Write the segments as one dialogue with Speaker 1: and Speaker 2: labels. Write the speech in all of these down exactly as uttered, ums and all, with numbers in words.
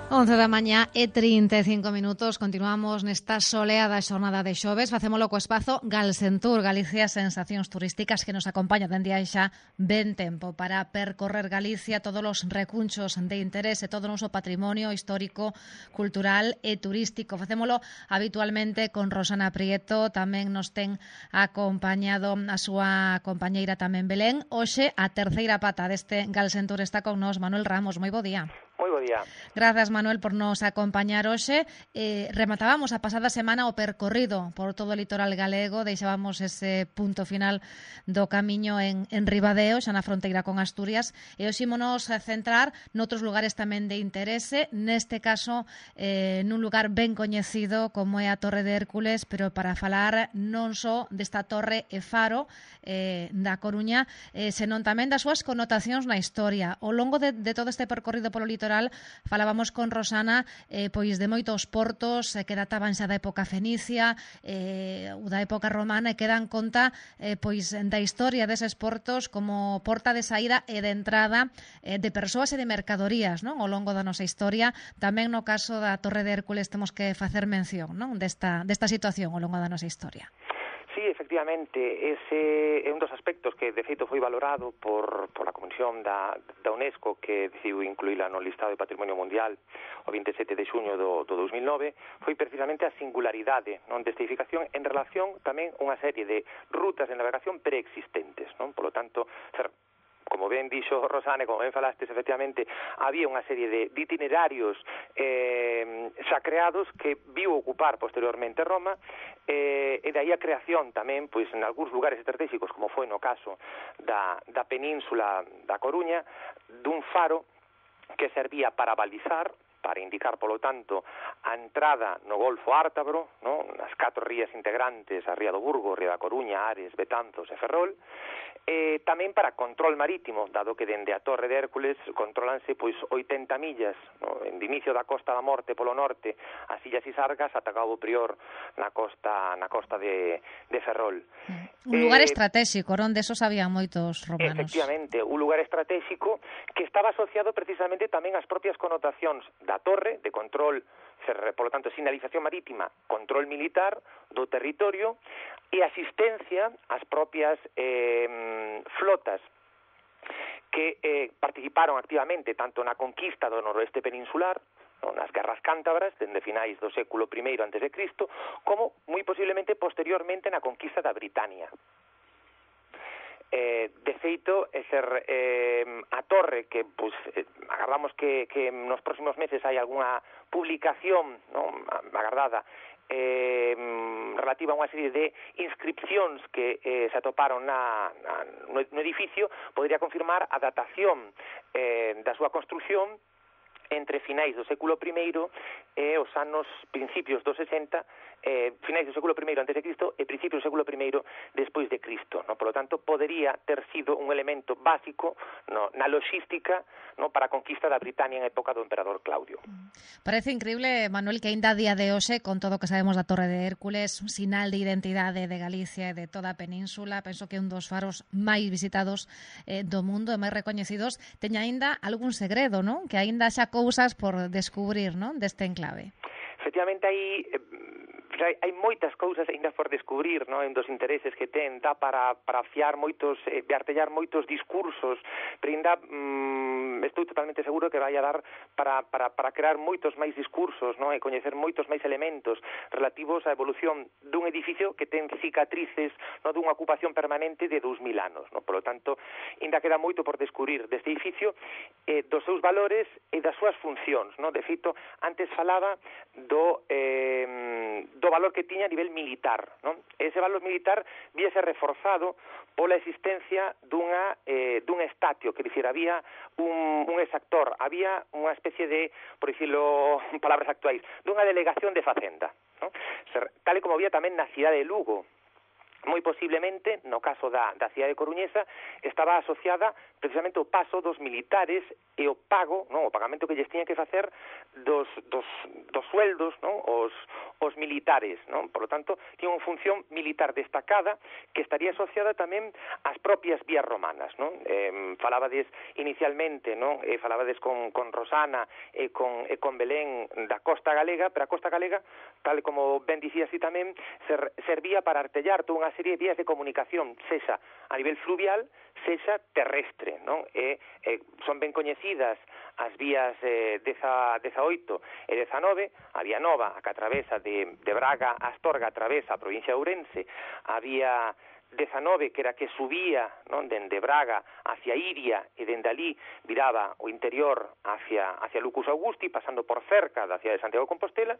Speaker 1: once da mañá e trinta e cinco minutos. Continuamos nesta soleada xornada de xoves. Facémolo co espazo Galsentur, Galicia Sensacións Turísticas, que nos acompaña dende hai xa ben tempo para percorrer Galicia, todos os recunchos de interese, todo o noso patrimonio histórico, cultural e turístico. Facémolo habitualmente con Rosana Prieto, tamén nos ten acompañado a súa compañeira tamén Belén. Hoxe a terceira pata deste Galsentur está con nos Manuel Ramos. Moi bo día.
Speaker 2: Moi bo día.
Speaker 1: Grazas, Manuel, por nos acompañar hoxe. Eh, rematábamos a pasada semana o percorrido por todo o litoral galego, deixábamos ese punto final do camiño en, en Ribadeo, xa na fronteira con Asturias, e hoxe ímonos a centrar noutros lugares tamén de interese, neste caso eh, nun lugar ben coñecido como é a Torre de Hércules, pero para falar non só desta torre e faro eh, da Coruña, eh, senón tamén das súas connotacións na historia. Ao longo de, de todo este percorrido polo litoral falábamos con Rosana eh, pois de moitos portos eh, que databan xa da época fenicia eh, ou da época romana e que dan conta eh, pois da historia deses portos como porta de saída e de entrada eh, de persoas e de mercadorías, non? Ao longo da nosa historia. Tamén no caso da Torre de Hércules temos que facer mención, non? Desta, desta situación ao longo da nosa historia.
Speaker 2: Sí, efectivamente, ese é un dos aspectos que de feito foi valorado por, por a Comisión da, da UNESCO, que decidiu incluíla no listado de Patrimonio Mundial o vinte e sete de xuño do, do dos mil nove, foi precisamente a singularidade, non, desta edificación en relación tamén a unha serie de rutas de navegación preexistentes, non? Por lo tanto, ser como ben dixo Rosane, como ben falastes, efectivamente, había unha serie de, de itinerarios eh, xa creados que viu ocupar posteriormente Roma, eh, e de aí a creación tamén, pois, en algúns lugares estratégicos, como foi no caso da, da península da Coruña, dun faro que servía para balizar, para indicar, polo tanto, a entrada no Golfo Ártabro, non? As catro rías integrantes, a Ría do Burgo, Ría da Coruña, Ares, Betanzos e Ferrol, e tamén para control marítimo, dado que dende a Torre de Hércules controlanse pois oitenta millas, no? En inicio da Costa da Morte polo norte, as Illas Isargas, ata Cabo Prior na costa na costa de, de Ferrol.
Speaker 1: Un lugar eh, estratégico, onde esos había moitos romanos.
Speaker 2: Efectivamente, un lugar estratégico que estaba asociado precisamente tamén ás propias connotacións da torre, de control, por lo tanto, sinalización marítima, control militar do territorio e asistencia ás propias eh, flotas que eh, participaron activamente tanto na conquista do noroeste peninsular, no, nas guerras cántabras, dende finais do século primeiro antes de Cristo, como moi posiblemente posteriormente na conquista da Britania. Eh, de feito, ser eh, a torre que pues, eh, agardamos que, que nos próximos meses hai algunha publicación, non, agardada eh, relativa a unha serie de inscripcións que eh, se atoparon na, na, no, no edificio, podría confirmar a datación eh, da súa construción entre finais do século primeiro e os anos principios dos sesenta, eh, finais do século primeiro antes de Cristo e principios do século primeiro despois de Cristo, no? Por lo tanto, podería ter sido un elemento básico, no, na logística, no, para a conquista da Britania en época do emperador Claudio.
Speaker 1: Parece increíble, Manuel, que ainda a día de hoxe, con todo o que sabemos da Torre de Hércules, un sinal de identidade de Galicia e de toda a península, penso que é un dos faros máis visitados eh, do mundo e máis recoñecidos, teña aínda algún segredo, non? Que aínda xa cousas por descubrir, non? Deste enclave.
Speaker 2: Efectivamente, hai... Eh, hai, hai moitas cousas aínda por descubrir, non? En dos intereses que ten, dá para, para fiar moitos, eh, de artellar moitos discursos, pero ainda mm, estou totalmente seguro que vai a dar para, para, para crear moitos máis discursos, non? E coñecer moitos máis elementos relativos á evolución dun edificio que ten cicatrices, non? Dunha ocupación permanente de dous mil anos, non? Por lo tanto, ainda queda moito por descubrir deste edificio, eh, dos seus valores e das súas funcións, non? De feito, antes falaba do, eh, do valor que tiña a nivel militar, non? Ese valor militar víase reforzado pola existencia dunha, eh, dun estatio, que dicir, había un, un exactor, había unha especie de, por dicirlo en palabras actuais, dunha delegación de facenda, non? Tal e como había tamén na cidade de Lugo. moi posiblemente, no caso da, da cidade coruñesa, estaba asociada precisamente ao paso dos militares e o pago, non, o pagamento que lles tiñan que facer dos, dos, dos sueldos, non, os, os militares, non? Por lo tanto, tiña unha función militar destacada que estaría asociada tamén ás propias vías romanas, non? Eh, falabades inicialmente, non? Eh, falabades con, con Rosana e con, e con Belén da costa galega, pero a costa galega, tal como ben dicía así tamén, ser, servía para artellar toda unha serie de vías de comunicación, sexa a nivel fluvial, sexa terrestre, non? E, e son ben coñecidas as vías eh, dezaoito e dezanove, a vía nova, a que atravesa de, de Braga a Astorga, atravesa a provincia de Ourense, a vía dezanove, que era que subía, non, dende Braga hacia Iria e dende ali viraba o interior hacia, hacia Lucus Augusti, pasando por cerca da cidade de Santiago de Compostela.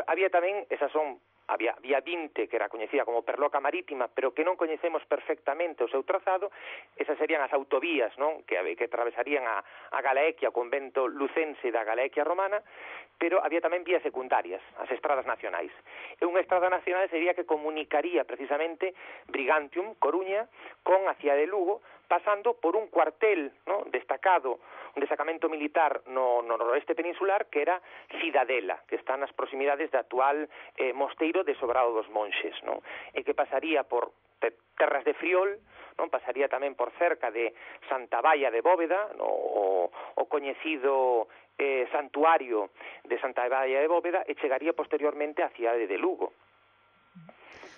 Speaker 2: Había tamén, esas son había vía vinte, que era coñecida como Perloca Marítima, pero que non coñecemos perfectamente o seu trazado. Esas serían as autovías, non, que, que atravesarían a, a Galaequia, o convento lucense da Galaequia romana, pero había tamén vías secundarias, as estradas nacionais. E unha estrada nacional sería que comunicaría precisamente Brigantium, Coruña, con a cidade de Lugo, pasando por un cuartel, non, destacado, un destacamento militar no, no noroeste peninsular, que era Cidadela, que está nas proximidades da actual eh, mosteiro de Sobrado dos Monxes, non? E que pasaría por terras de Friol, non, pasaría tamén por cerca de Santa Baia de Bóveda, no, o, o coñecido eh, santuario de Santa Baia de Bóveda, e chegaría posteriormente á cidade de Lugo.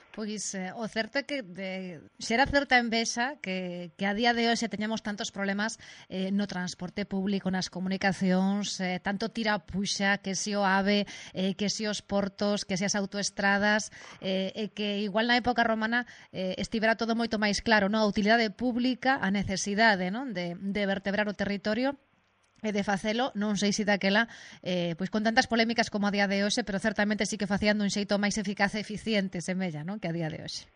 Speaker 1: Pois eh, o certo é que de, xera certa envexa que, que a día de hoxe teñamos tantos problemas eh, no transporte público, nas comunicacións, eh, tanto tira puxa, que si o AVE, eh, que si os portos, que si as autoestradas, eh, e que igual na época romana eh, estivera todo moito máis claro, non? A utilidade pública, a necesidade, non? De, de vertebrar o territorio e de facelo, non sei se daquela eh, pois con tantas polémicas como a día de hoxe, pero certamente sí que facían dun xeito máis eficaz e eficiente, semella, non, que a día de hoxe.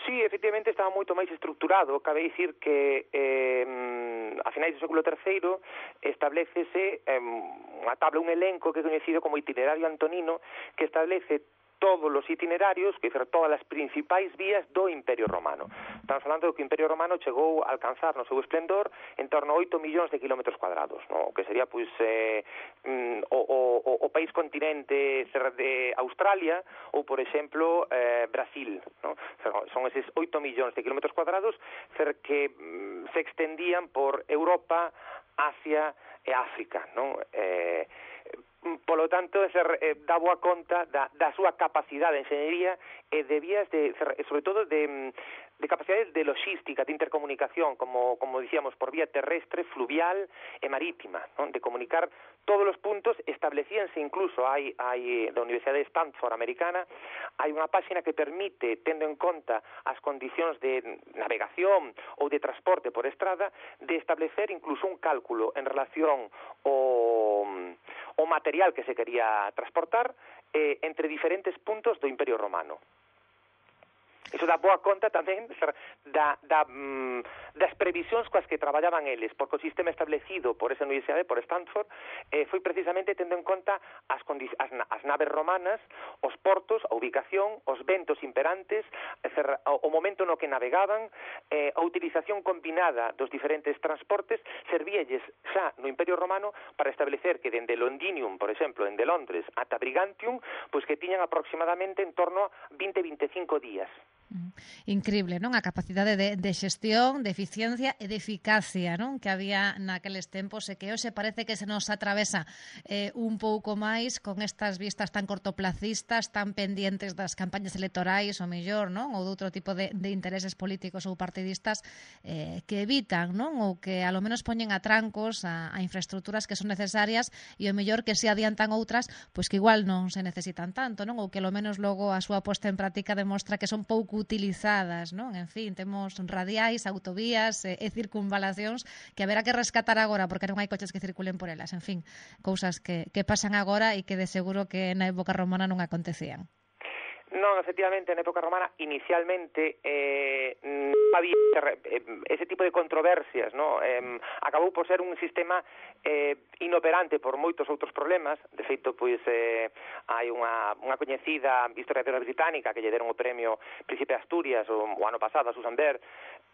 Speaker 2: Sí, efectivamente estaba moito máis estructurado. Cabe dicir que eh, a finais do século terceiro establecese eh, unha tabla, un elenco que é coñecido como itinerario antonino, que establece todos os itinerarios, que dizer, todas as principais vías do Imperio Romano. Estamos falando que o Imperio Romano chegou a alcanzar no seu esplendor en torno a oito millóns de kilómetros cuadrados, no? Que sería pois eh, mm, o, o, o país continente de Australia ou, por exemplo, eh, Brasil, no? Son eses oito millóns de kilómetros cuadrados que mm, se extendían por Europa, Asia e África, non? Eh, Polo tanto, ser, eh, dá boa conta da, da súa capacidade de enxeñería e de vías, de, sobre todo, de, de capacidades de logística, de intercomunicación, como, como dicíamos, por vía terrestre, fluvial e marítima, non? De comunicar todos os puntos. Establecíanse incluso, hai, hai da Universidade de Stanford americana, hai unha páxina que permite, tendo en conta as condicións de navegación ou de transporte por estrada, de establecer incluso un cálculo en relación ao o material que se quería transportar eh, entre diferentes puntos do Imperio Romano. Iso dá boa conta tamén da, da, mm, das previsións coas que traballaban eles, porque o sistema establecido por esa universidade, por Stanford, eh, foi precisamente tendo en conta as, as, as naves romanas, os portos, a ubicación, os ventos imperantes, o momento no que navegaban, eh, a utilización combinada dos diferentes transportes, servíalles xa no Imperio Romano para establecer que dende Londinium, por exemplo, dende Londres ata Brigantium, pois que tiñan aproximadamente en torno a vinte a veinticinco días.
Speaker 1: Increíble, non? A capacidade de, de xestión, de eficiencia e de eficacia, non? Que había naqueles tempos e que hoxe parece que se nos atravesa eh, un pouco máis con estas vistas tan cortoplacistas, tan pendientes das campañas electorais, ou mellor, non? Ou de outro tipo de, de intereses políticos ou partidistas eh, que evitan, non? Ou que a lo menos poñen a trancos a, a infraestructuras que son necesarias e o mellor que se adiantan outras, pois que igual non se necesitan tanto, non? Ou que lo menos logo a súa posta en práctica demostra que son pouco utilizadas, non? En fin, temos radiais, autovías e, e circunvalacións que haberá que rescatar agora porque non hai coches que circulen por elas. En fin, cousas que, que pasan agora e que de seguro que na época romana non acontecían.
Speaker 2: Non, non, efectivamente, na época romana, inicialmente, eh, non había ese tipo de controversias, no? Eh, acabou por ser un sistema eh, inoperante por moitos outros problemas. De feito, pois, eh, hai unha, unha coñecida historiadora británica que lle deron o premio Príncipe de Asturias o, o ano pasado a Susan Baird,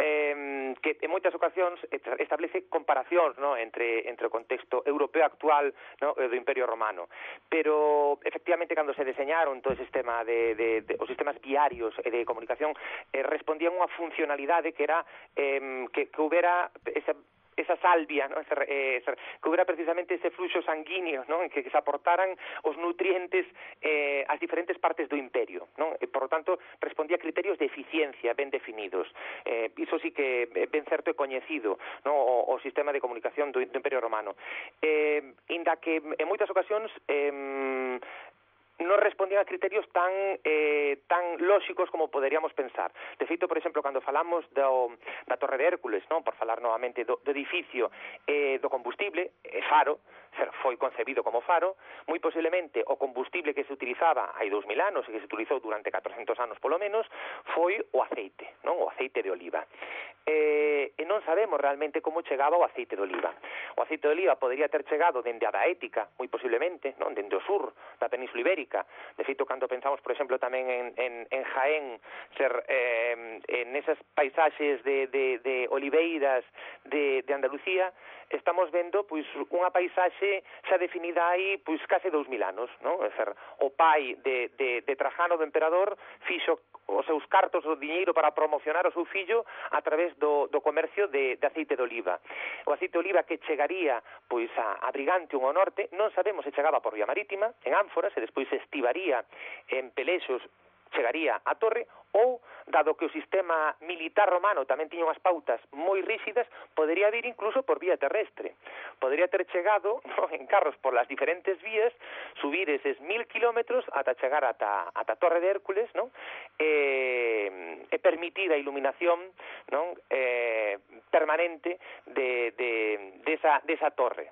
Speaker 2: eh, que en moitas ocasións establece comparacións, no? entre, entre o contexto europeo actual, no? E do Imperio Romano. Pero, efectivamente, cando se deseñaron todo ese sistema de, de, de os sistemas viarios e de comunicación, eh, respondían unha funcionalidade que era eh, que, que houbera esa esa salvia, ¿no? Ese, eh, que hubiera precisamente ese fluxo sanguíneo, ¿no? En que, que se aportaran os nutrientes eh, ás diferentes partes do imperio, ¿no? E, por lo tanto, respondía a criterios de eficiencia ben definidos. Eh, iso sí que ben certo e coñecido, ¿no? O, o sistema de comunicación do, do Imperio Romano. Eh, inda que en moitas ocasións eh, non respondían a criterios tan eh, tan lóxicos como poderíamos pensar. De feito, por exemplo, cando falamos do, da Torre de Hércules, non? Por falar novamente do, do edificio eh, do combustible, eh, faro, foi concebido como faro, moi posiblemente o combustible que se utilizaba hai dous mil anos e que se utilizou durante catrocentos anos polo menos foi o aceite, non? O aceite de oliva. Eh, e non sabemos realmente como chegaba o aceite de oliva. O aceite de oliva podería ter chegado dende a Daética, moi posiblemente, non? Dende o sur da Península Ibérica. De feito, cando pensamos, por exemplo, tamén en, en, en Jaén, ser eh, en esas paisaxes de, de, de oliveiras de, de Andalucía, estamos vendo pois unha paisaxe xa definida aí pois case dous mil anos, non? É ser, o pai de, de, de Trajano, do emperador, fixo os seus cartos o diñeiro para promocionar o seu fillo a través do, do comercio de, de aceite de oliva. O aceite de oliva que chegaría pois a, a Brigantium ao norte, non sabemos se chegaba por vía marítima, en ánforas, e despois se estivaría en pelexos, chegaría a Torre, ou, dado que o sistema militar romano tamén tiña unhas pautas moi rígidas, podería vir incluso por vía terrestre. Podería ter chegado, no, en carros por las diferentes vías, subir eses mil kilómetros ata chegar ata, ata Torre de Hércules, non? E, e permitir a iluminación, non? Eh, permanente de, de, de, esa, de esa torre.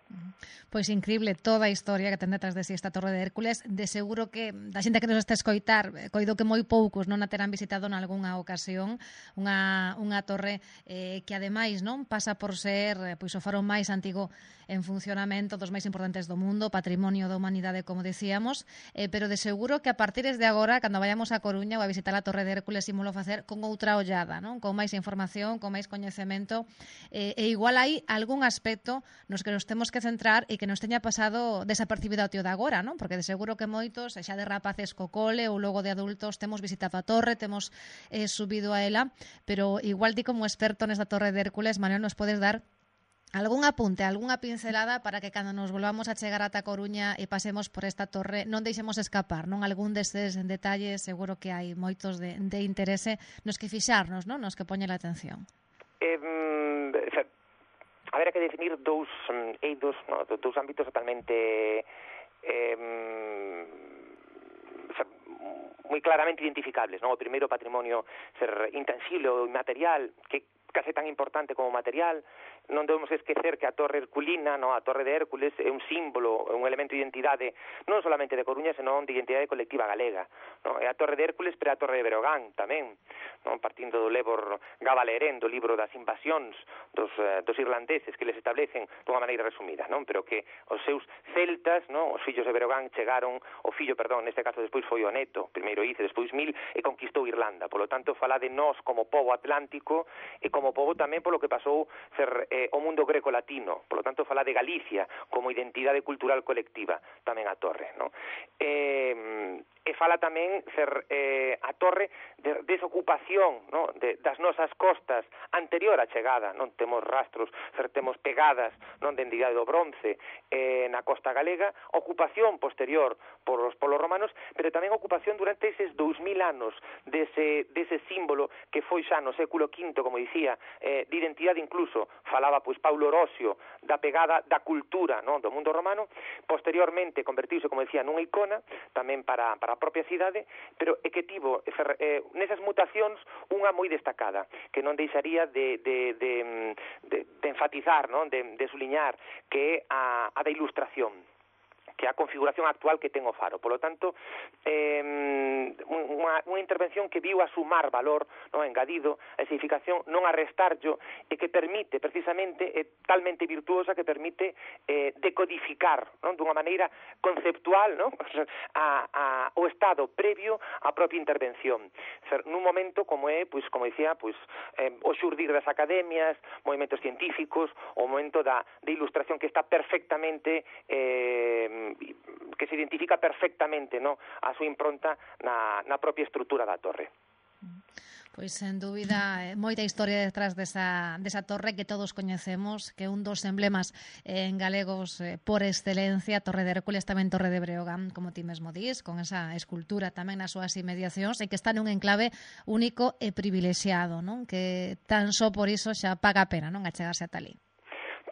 Speaker 1: Pois increíble toda a historia que ten detrás de si esta Torre de Hércules. De seguro que da xente que nos está a escoitar, coido que moi poucos non a terán visitado nalgúnha ocasión, unha, unha torre eh, que ademais non pasa por ser pois o faro máis antigo en funcionamento, dos máis importantes do mundo, patrimonio da humanidade, como decíamos, eh, pero de seguro que a partir de agora, cando vayamos a Coruña ou a visitar a Torre de Hércules, ímolo facer con outra ollada, non? Con máis información, con máis coñecemento, eh, e igual hai algún aspecto nos que nos temos que centrar e que nos teña pasado desapercibido ao tío de agora, non? Porque de seguro que moitos, xa de rapaces co cole ou logo de adultos, temos visitado a torre, temos eh, subido a ela, pero igual ti como experto nesta Torre de Hércules, Manuel, nos podes dar algún apunte, algunha pincelada para que cando nos volvamos a chegar ata Coruña e pasemos por esta torre non deixemos escapar, non? Algún destes detalles seguro que hai moitos de, de interese nos que fixarnos, non? Nos que poñe a atención.
Speaker 2: Eh, Haberá que definir dous eidos, no, dous ámbitos totalmente eh, moi claramente identificables, no? O primeiro, patrimonio ser intangible ou inmaterial, que case tan importante como material. Non debemos esquecer que a Torre Herculina, no, a Torre de Hércules, é un símbolo, un elemento de identidade non solamente de Coruña, senón de identidade colectiva galega, no? É a Torre de Hércules, pero a Torre de Breogán tamén, non? Partindo do lebor Gabalerén, do libro das invasións dos, uh, dos irlandeses que les establecen dunha maneira resumida, non? Pero que os seus celtas, non? Os fillos de Breogán chegaron, o fillo, perdón, neste caso despois foi o neto, primeiro Ice, despois Mil, e conquistou Irlanda. Por lo tanto, fala de nós como pobo atlántico e como pobo tamén polo que pasou ser eh, o mundo greco-latino. Por lo tanto, fala de Galicia como identidade cultural colectiva, tamén a Torre, non? Eh, e fala tamén ser eh, a Torre de desocupación, non? De, das nosas costas anterior á chegada, non? Temos rastros, ser, temos pegadas, non? De identidade do bronce eh, na costa galega, ocupación posterior por os polos romanos, pero tamén ocupación durante eses dous mil anos dese, dese símbolo que foi xa no século quinto, como dicía, eh, de identidade incluso, falaba pois Paulo Orosio da pegada da cultura, non? Do mundo romano. Posteriormente convertiuse, como decía, nunha icona tamén para, para a propia cidade, pero é que tivo eh, nesas mutacións unha moi destacada, que non deixaría de, de, de, de, de enfatizar, non? De, de suliñar, que é a, a da ilustración, que a configuración actual que ten o faro. Por lo tanto, eh, unha, unha intervención que viu a sumar valor, non, engadido, a edificación non a restarllo, e que permite, precisamente, é talmente virtuosa que permite eh, decodificar, non, dunha maneira conceptual, non, a, a, o estado previo á propia intervención. Ser, nun momento como é, pois, como dicía, pois, eh, o xurdir das academias, movimentos científicos, o momento da, de ilustración que está perfectamente eh, que se identifica perfectamente, no, a súa impronta na, na propia estrutura da torre.
Speaker 1: Pois, sen dúbida, moita historia detrás desa, desa torre que todos coñecemos, que é un dos emblemas eh, en galegos eh, por excelencia, Torre de Hércules, tamén Torre de Breogán, como ti mesmo dís, con esa escultura tamén nas súas inmediacións, e que está nun enclave único e privilexiado, non? Que tan só por iso xa paga a pena, non, achegarse ata ali.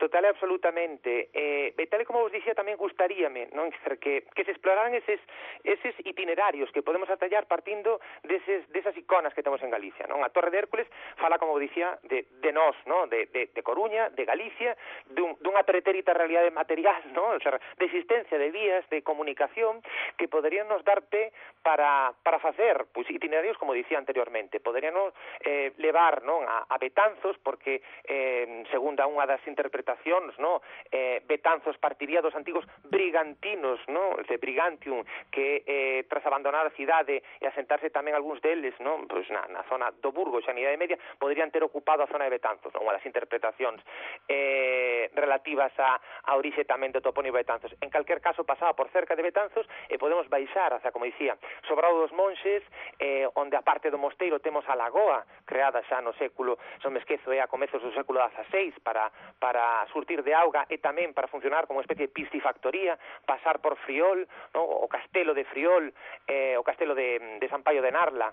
Speaker 2: Total e absolutamente. Eh, e tal e como vos dixía, tamén gustaríame, non, que, que se exploraran eses, eses itinerarios que podemos atallar partindo deses, desas iconas que temos en Galicia, non? A Torre de Hércules fala, como vos dixía, de, de nós, non? De, de, de Coruña, de Galicia, dun, dunha pretérita realidade material, non? O sea, de existencia de vías de comunicación que poderían nos dar pé para, para facer, pois, itinerarios, como dicía anteriormente, poderían eh, levar, non, a, a Betanzos, porque, eh, segundo unha das interpretacións, no, eh, Betanzos partiría dos antigos brigantinos, no, de Brigantium, que eh, tras abandonar a cidade e asentarse tamén algúns deles, no, pois na, na zona do Burgo, xa na Idade Media, poderían ter ocupado a zona de Betanzos, non? Unha das interpretacións eh, relativas a, a orixe tamén do topónimo Betanzos. En calquer caso, pasaba por cerca de Betanzos e podemos baixar hacia, como dicía, Sobrado dos Monxes, eh, onde a parte do mosteiro temos a lagoa, creada xa no século, non me esquezo, é a comezos do século dieciséis, para, para surtir de auga e tamén para funcionar como unha especie de piscifactoría, pasar por Friol, no? O castelo de Friol, eh, o castelo de, de San Paio de Narla,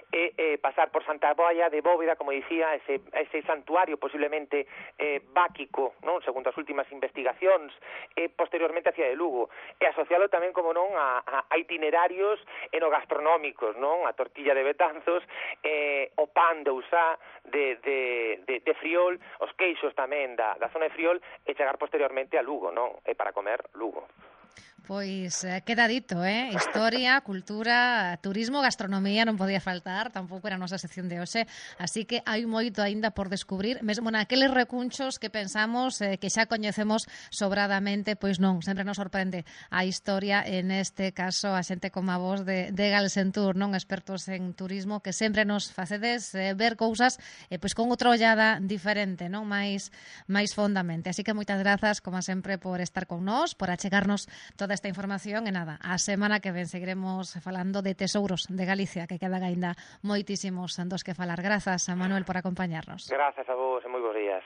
Speaker 2: e eh, pasar por Santa Boia de Bóveda, como dicía, ese, ese santuario posiblemente eh, báquico, non, segundo as últimas investigacións, e posteriormente hacia de Lugo, e asociado tamén, como non, a, a, a itinerarios enogastronómicos, non, a tortilla de Betanzos, eh, o pan de Usá de, de, de, de Friol, os queixos tamén da, da zona de Friol, e chegar posteriormente a Lugo, non, e para comer Lugo.
Speaker 1: Pois eh, queda dito, eh? Historia, cultura, turismo, gastronomía non podía faltar, tampouco era a nosa sección de hoxe, así que hai moito aínda por descubrir, mesmo naqueles recunchos que pensamos eh, que xa coñecemos sobradamente, pois non, sempre nos sorprende a historia, en este caso a xente como a vos de, de Galsentur, non, expertos en turismo, que sempre nos facedes eh, ver cousas eh, pois con outra ollada diferente, non, máis, máis fondamente. Así que moitas grazas, como sempre, por estar con nós, por achegarnos toda esta información, e nada, a semana que ven seguiremos falando de tesouros de Galicia, que quedan aínda moitísimos dos que falar. Grazas a Manuel por acompañarnos.
Speaker 2: Grazas a vos e moi bons días.